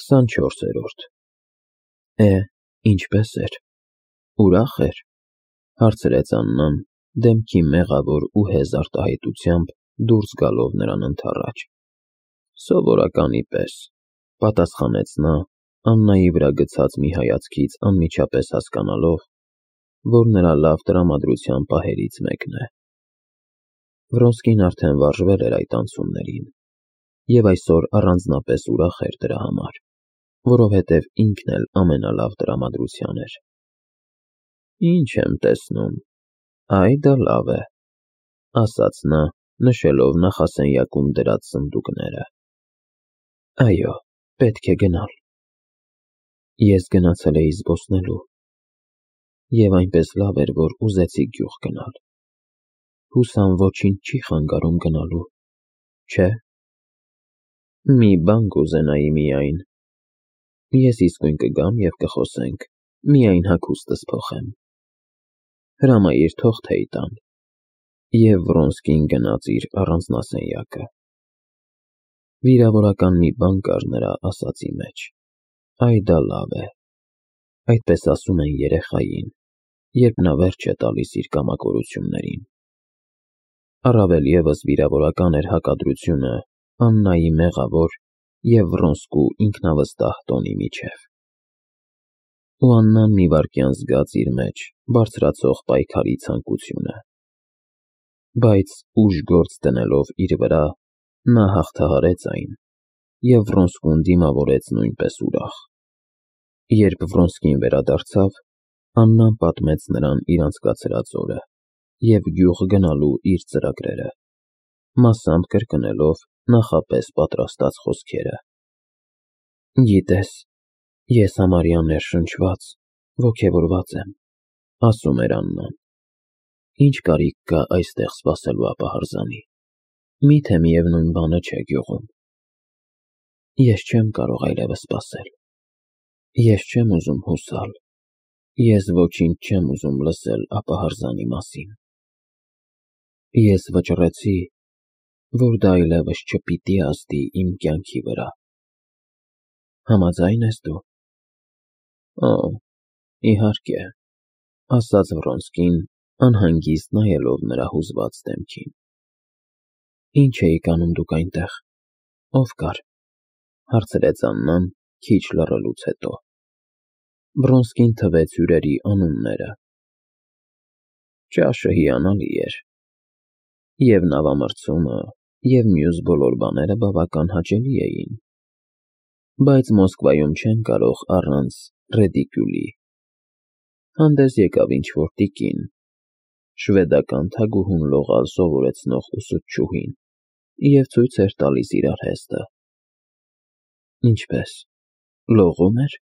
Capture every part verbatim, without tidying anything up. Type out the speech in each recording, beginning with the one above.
քսանչորսերորդ Է, ինչպե՞ս էր, ուրախ էր, հարցրեց Աննան, դեմքի մեղավոր ու հեզ արտահայտությամբ դուրս գալով նրան ընդառաջ։ Սովորականի պես, պատասխանեց նա, Աննայի վրա գցած մի հայացքից անմիջապես հասկանալով, որ նրա լավ տրամադրության պահերից մեկն է։ Վրոնսկին արդեն վարժվել էր այդ անցումներին, և այսօր առանձնապես ուրախ էր դրա համար, որովհետև ինքն էլ ամենալավ տրամադրության էր։ Ինչ եմ տեսնում, այ դա լավ է, ասաց նա, նշելով նախասենյակում դրած սնդուկները։ Այո, պետք է գնալ։ Ես գնացել էի զբոսնելու, և այնպես լավ էր, որ ուզեցի գյուղ գնալ։ Հուսամ ոչինչ չի խանգարում գնալու, չէ՞։ Մի բան կուզենայի միայն։ Ես իսկույն կգամ և կխոսենք, միայն հագուստս փոխեմ։ Հրամայիր թղթեի տան։ Եվ Վրոնսկին գնաց իր առանձնասենյակը։ Վիրավորական մի բան կար նրա ասածի մեջ։ Այ դա լավ է։ Այդպես ասում են երեխային, երբ նա վերջ է տալիս իր կամակորություններին։ Առավել ևս վիրավորական էր հակադրությունը Աննայի մեղավոր և Վրոնսկու ինքնավստահ տոնի միջև։ Ու Աննան մի վայրկյան զգաց իր մեջ բարձրացող պայքարի ցանկությունը։ Բայց ուժ գործ դնելով իր վրա, նա հաղթահարեց այն, և Վրոնսկուն դիմավորեց նույնպես ուրախ։ Երբ Վրոնսկին վերադարձավ, Աննան պատմեց նրան իր անցկացրած օրը և գյուղ գնալու իր ծրագրերը, մասամբ կրկնելով նախապես պատրաստած խոսքերը։ Գիտես, ես համարյա ներշնչված, ոգևորված եմ, ասում էր Աննան։ Ինչ կարիք կա այստեղ սպասելու ապահարզանի, միթե միևնույն բանը չէ գյուղում։ Ես չեմ կարող այլևս սպասել։ Ես չեմ ուզում հուսալ, ես ոչինչ չեմ ուզում լսել ապահարզանի մասին։ Ես վճռեցի, որ դա այլևս չպիտի ազդի իմ կյանքի վրա։ Համաձա՞յն ես դու։ Օ, իհարկե, ասաց Վրոնսկին, անհանգիստ նայելով նրա հուզված դեմքին։ Ինչ էիք անում դուք այնտեղ, ով կար, հարցրեց Աննան, քիչ լռելուց հետո։ Վրոնսկին թվեց հյուրերի անունները։ Ճաշը հիանալի էր, և նավամրցումը, և մյուս բոլոր բաները բավական հաճելի էին, բայց Մոսկվայում չեն կարող առանց ռեդիկյուլի։ Հանդես եկավ ինչ-որ տիկին, շվեդական թագուհուն լողալ սովորեցնող ուսուցչուհին, և ցույց էր տալիս իր արհեստը։ Ինչպե՞ս, լողո՞ւմ էր,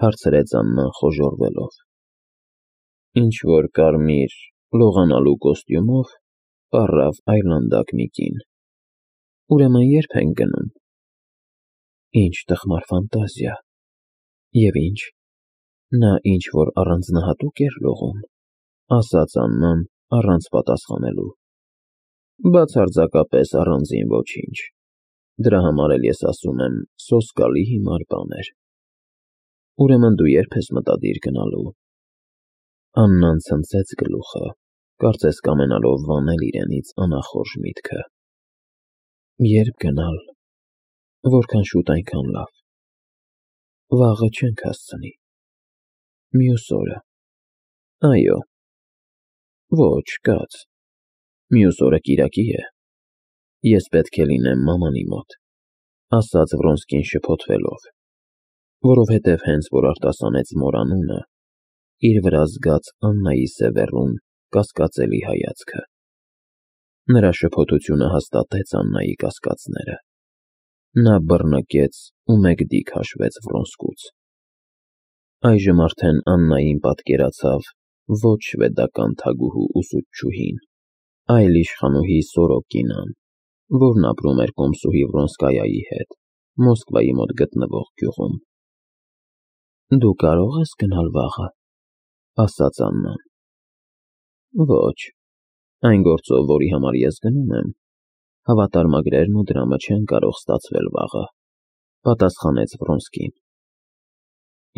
հարցրեց Աննան խոժոռվելով։ Ինչ-որ կարմիր, լողանալու կոստյումով, պառավ այրլանդակ մի կին։ Ուրեմն ե՞րբ ենք գնում։ Ինչ տխմար ֆանտազիա։ Եվ ինչ, նա ինչ-որ առանձնահատուկ էր լողում, ասաց Աննան, առանց պատասխանելու։ Բացարձակապես առանձին ոչինչ։ Դրա համար էլ ես ասում եմ, սոսկալի հիմար բան էր։ Ուրեմն դու ե՞րբ ես մտադիր գնալու։ Աննան ցնցեց գլուխը, կարծես կամենալով վանել իրենից անախորժ միտքը։ Ե՞րբ գնալ, որքան շուտ, այնքան լավ։ Վաղը չենք հասցնի։ Մյուս օրը։ Այո։ Ոչ, կաց։ Մյուս օրը կիրակի է։ Ես պետք է լինեմ մամանի մոտ, ասաց Վրոնսկին շփոթվելով, որովհետև հենց որ արտասանեց մոր անունը, իր վրա զգաց Աննայի սևեռուն, կասկածելի հայացքը։ Նրա շփոթությունը հաստատեց Աննայի կասկածները։ Նա բռնկեց ու մեկ դիկ հաշվեց Վրոնսկուց։ Այժմ արդեն Աննային պատկերացավ ոչ շվեդական թագուհու ուսուցչուհին, այլ իշխանուհի Սորոկինան, որն ապրում էր կոմսուհի Վրոնսկայայի հետ Մոսկվայի մոտ գտնվող գյուղում։ Դու կարո՞ղ ես գնալ վաղը, ասաց Աննան։ Ոչ, այն գործով, որի համար ես գնում եմ, հավատարմագրերն ու դրամը չեն կարող ստացվել վաղը, Պատասխանեց Վրոնսկին։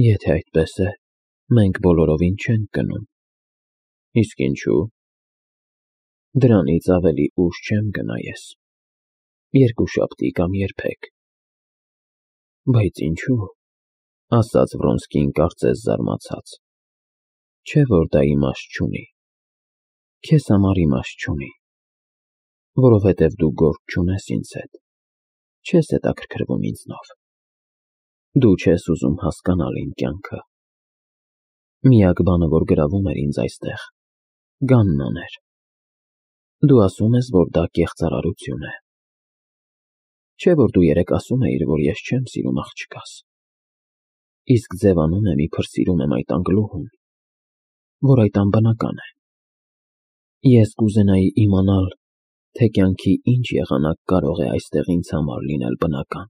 Եթե այդպես է, մենք բոլորովին չենք գնում։ Իսկ ինչու՞։ Դրանից ավելի ուշ չեմ գնա ես։ Երկուշաբթի կամ երբեք։ Բայց ինչու՞, ասաց Վրոնսկին կարծես զարմացած։ Չէ՞ որ դա իմաստ չունի։ Քեզ համար իմաստ չունի, որովհետև դու գործ չունես ինձ հետ, չես հետաքրքրվում ինձնով։ Դու չես ուզում հասկանալ իմ կյանքը։ Միակ բանը, որ գրավում էր ինձ այստեղ, Գաննան էր։ Դու ասում ես, որ դա կեղծարարություն է։ Չէ՞ որ դու երեկ ասում էիր, որ ես չեմ սիրում աղջկաս։ Իսկ ձևանում եմ, իբր սիրում եմ այդ անգլուհուն, որ այդ անբնական է։ Ես կուզենայի իմանալ, թե կյանքի ինչ եղանակ կարող է այստեղ ինձ համար լինել բնական։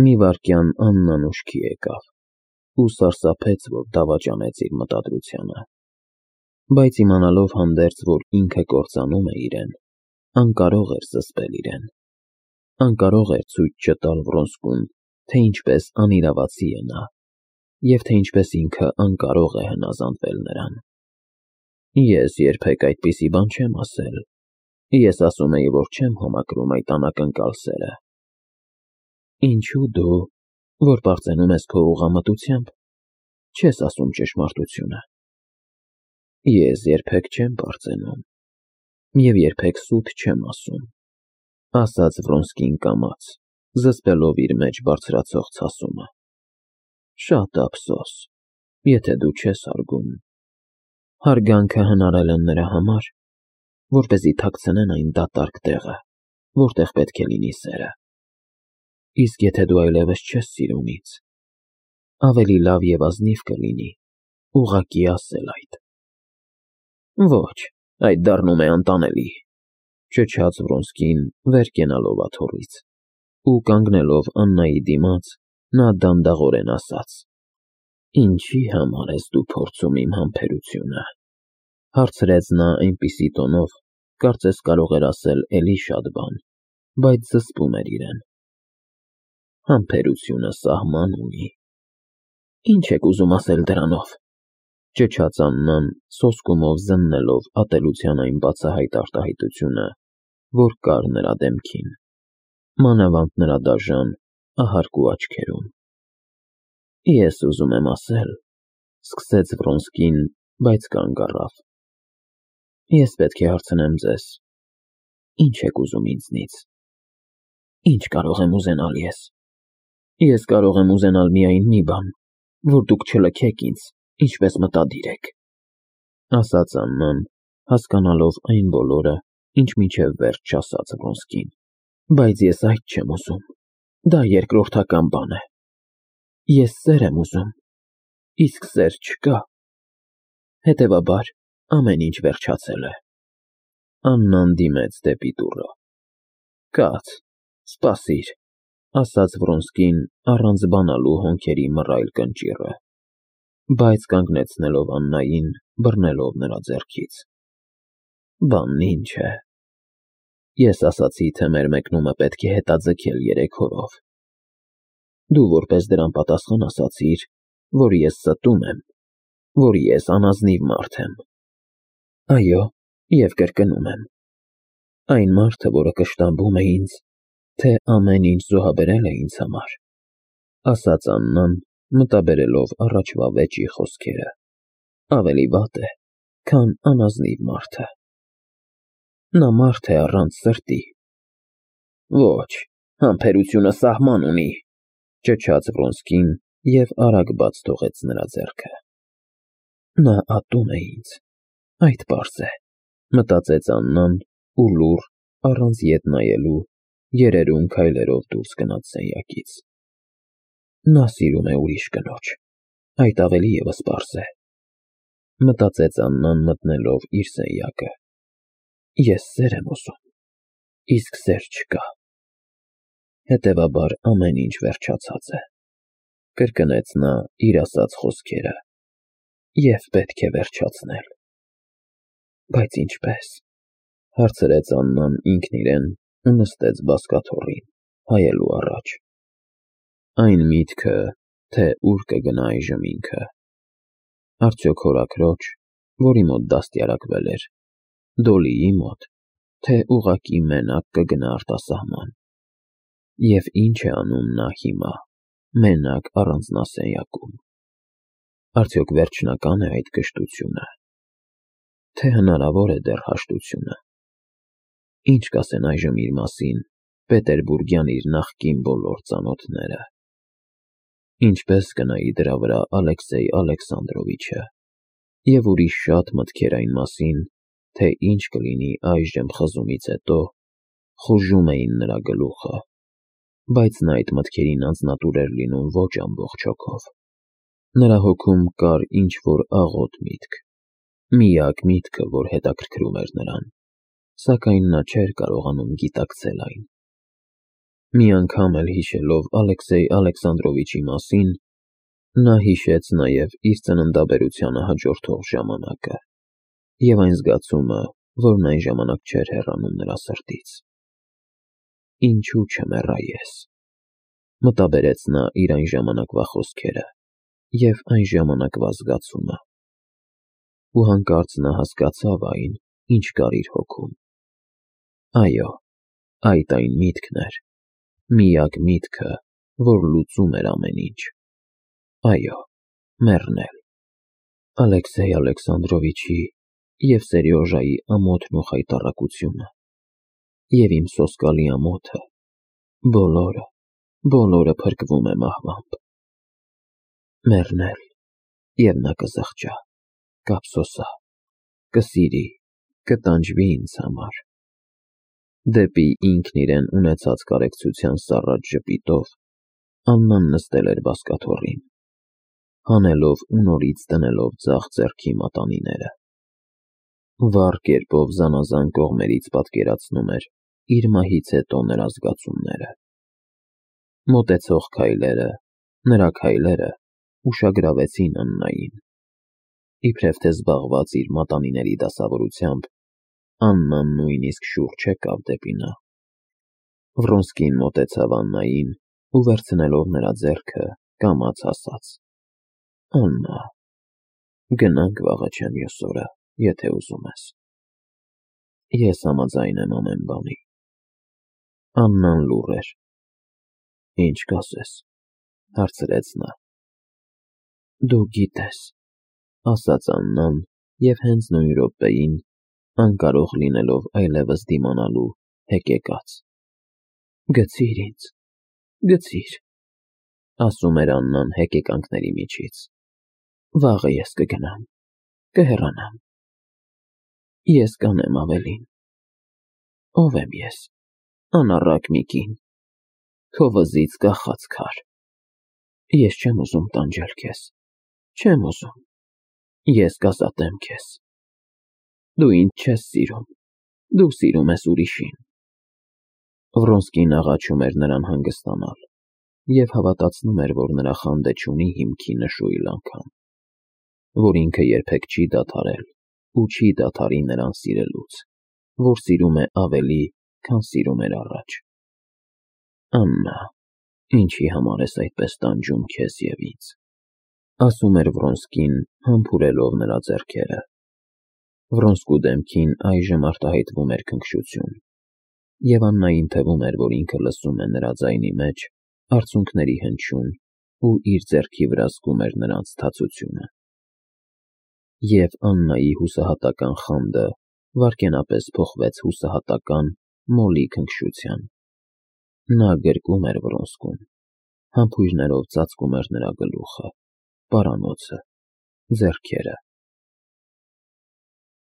Մի վայրկյան Աննան ուշքի եկավ ու սարսափեց, որ դավաճանեց իր մտադրությանը, բայց իմանալով հանդերձ, որ ինքը կործանում է իրեն, անկարող էր զսպել իրեն, անկարող էր ցույց չտալ Վրոնսկուն, թե ինչպես անիրավացի է նա, և թե ինչպես ինքը անկարող է հնազանդվել նրան։ Ես երբեք այդպիսի բան չեմ ասել։ Ես ասում էի, որ չեմ համակրում այդ անակնկալ սերը։ Ինչու դու, որ պարծենում ես քո ուղղամտությամբ, չես ասում ճշմարտությունը։ Ես երբեք չեմ պարծենում և երբեք սուտ չեմ ասում, ասաց Վրոնսկին կամաց, զսպելով իր մեջ բարձրացող ցասումը։ Շատ ափսոս, եթե դու չես հարգում։ Հարգանքը հնարել են նրա համար, որպեսզի թաքցնեն այն դատարկ տեղը, որտեղ պետք է լինի սերը։ Իսկ եթե դու այլևս չես սիրում ինձ, ավելի լավ և ազնիվ կլինի ուղղակի ասել այդ։ Ոչ, այդ դառնում է անտանելի, ճչաց Վրոնսկին, վեր կենալով աթոռից, ու կանգնելով Աննայի դիմաց, նա դանդաղորեն ասաց. Ինչի համար ես դու փորձում իմ համբերությունը, հարցրեց նա այնպիսի տոնով, կարծես կարող էր ասել էլի շատ բան, բայց զսպում էր իրեն։ Համբերությունը սահման ունի։ Ինչ եք ուզում ասել դրանով, ճչաց Աննան, սոսկումով զննելով ատելության այն բացահայտ արտահայտությունը, որ կար նրա դեմքին, մանավանդ նրա դաժան, ահարկու աչքերում։ Ես ուզում եմ ասել, սկսեց Վրոնսկին, բայց կանգ առավ։ Ես պետք է հարցնեմ ձեզ. Ինչ եք ուզում ինձնից։ Ինչ կարող եմ ուզենալ ես։ Ես կարող եմ ուզենալ միայն մի բան, որ դուք չլքեք ինձ, ինչպես մտադիր եք, ասաց Աննան, հասկանալով այն բոլորը, ինչ մինչև վերջ չասաց Վրոնսկին։ Բայց ես այդ չեմ ուզում, դա երկրորդական բան է։ Ես սեր եմ ուզում, իսկ սեր չկա։ Հետևաբար, ամեն ինչ վերջացել է։ Աննան դիմեց դեպի դուռը։ Կաց, սպասիր, ասաց Վրոնսկին, առանց բանալու հոնքերի մռայլ կնճիռը, բայց կանգնեցնելով Աննային, բռնելով նրա ձեռքից։ Բանն ինչ է։ Ես ասացի, թե մեր մեկնումը պետք է հետաձգել երեք օրով։ Դու որպես դրան պատասխան ասացիր, որ ես ստում եմ, որ ես անազնիվ մարդ եմ։ Այո, և կրկնում եմ։ Այն մարդը, որը կշտամբում է ինձ, թե ամեն ինչ զոհաբերել է ինձ համար, ասաց Աննան, մտաբերելով առաջվա վեճի խոսքերը, ավելի վատ է, քան անազնիվ մարդը։ Նա մարդ է առանց սրտի։ Ոչ, համբերությունը սահման ունի, ճչաց Վրոնսկին և արագ բաց թողեց նրա ձեռքը։ Նա ատում է ինձ, այդ պարզ է, մտածեց Աննան ու լուռ, առանց ետ նայելու, երերուն քայլերով դուրս գնաց սենյակից։ Նա սիրում է ուրիշ կնոջ, այդ ավելի ևս պարզ է, մտածեց Աննան մտնելով իր սենյակը։ Ես սեր եմ ուզում, իսկ սեր չկա։ Հետևաբար ամեն ինչ վերջացած է, կրկնեց նա իր ասած խոսքերը, և պետք է վերջացնել։ Բայց ինչպե՞ս, հարցրեց Աննան ինքն իրեն ու նստեց բազկաթոռին, հայելու առաջ։ Այն միտքը, թե ուր կգնա այժմ ինքը, արդյոք հորաքրոջ, որի մոտ դաստիարակվել էր, Դոլիի մոտ, թե ուղղակի մենակ կգնա արտասահման, և ինչ է անում նա հիմա, մենակ առանձնասենյակում, արդյոք վերջնական է այդ կշտությունը, թե հնարավոր է դեռ հաշտությունը, ինչ կասեն այժմ իր մասին պետերբուրգյան իր նախկին բոլոր ծանոթները, ինչպես կնայի դրա վրա Ալեքսեյ Ալեքսանդրովիչը, և ուրիշ շատ մտքեր այն մասին, թե ինչ կլինի այժմ խզումից հետո, խուժում էին նրա գլուխը, բայց նա այդ մտքերին անձնատուր էր լինում ոչ ամբողջ հոգով, նրա հոգում կար ինչ-որ աղոտ միտք, միակ միտքը, որ հետաքրքրում էր նրան, սակայն նա չէր կարողանում գիտակցել այն։ Մի անգամ էլ հիշելով Ալեքսեյ Ալեքսանդրովիչի մասին, նա հիշեց նաև իր ծննդաբերությանը հաջորդող ժամանակը և այն զգացումը, որն այն ժամանակ չէր հեռանում նրա սրտից։ Ինչու չմեռա ես, մտաբերեց նա իր այն ժամանակվա խոսքերը և այն ժամանակվա զգացումը, ու հանկարծ նա հասկացավ այն, ինչ կար իր հոգում։ Այո, այդ այն միտքն էր, միակ միտքը, որ լուծում էր ամեն ինչ։ Այո, մեռնել։ Ալեքսեյ Ալեքսանդրովիչի և Սերյոժայի ամոթն ու խայտառակությունը, և իմ սոսկալի ամոթը, բոլորը, բոլորը փրկվում է մահվամբ։ Մեռնել, և նա կզղջա, կափսոսա, կսիրի, կտանջվի ինձ համար։ Դեպի ինքն իրեն ունեցած կարեկցության սառած ժպիտով Աննան նստել էր բազկաթոռին, հանելով ու նորից դնելով ձախ ձեռքի մատանիները, վառ կերպով զանազան կողմերից պատկերացնում էր իր մահից հետո նրա զգացումները։ Մոտեցող քայլերը, նրա քայլերը ուշագրավեցին Աննային, իբրև թե զբաղված իր մատանիների դասավորությամբ, Աննան նույնիսկ շուռ չեկավ դեպի նա։ Վռոնսկին մոտեցավ Աննային ու վերցնելով նրա ձեռքը, կամաց ասաց. «Աննա, գնանք վաղը չէ մյուս օրը, եթե ուզում ես»։ Ես համաձայն եմ ամեն բանի։ Աննան լուռ էր։ Ինչ կասես, հարցրեց նա։ Դու գիտես, ասաց Աննան և հենց նույն րոպեին, անկարող լինելով այլևս դիմանալու, հեկեկաց։ Գցի՛ր ինձ, գցի՛ր, ասում էր Աննան հեկեկանքների միջից։ Վաղը ես կգնամ, կհեռանամ։ Ես կանեմ ավելին։ Ո՞վ եմ ես, անառակ մի կին, քո վզից կախած քար։ Ես չեմ ուզում տանջել քեզ, չեմ ուզում, ես կազատեմ քեզ։ Դու ինձ չես սիրում, դու սիրում ես ուրիշին։ Վռոնսկին աղաչում էր նրան հանգստանալ և հավատացնում էր, որ նրա խանդը չունի հիմքի նշույլ անգամ, որ ինքը երբեք չի դադարել ու չի դադարի նրան սիրելուց, որ սիրում է ավելի, քան սիրում էր առաջ։ Աննա, ինչի համար ես այդպես տանջում քեզ և ինձ, ասում էր Վռոնսկին, համբուրելով նրա ձեռքերը։ Վռոնսկու դեմքին այժմ արտահայտվում էր քնքշություն, և Աննային թվում էր, որ ինքը լսում է նրա ձայնի մեջ արցունքների հնչյուն ու իր ձեռքի վրա զգում էր նրանց թացությունը։ Եվ Աննայի հուսահատական խանդը վայրկենապես փոխվեց հուսահատական մոլի քնքշության։ Նա գրկում էր Վռոնսկուն, համբույրներով ծածկում էր նրա գլուխը, պարանոցը, ձեռքերը,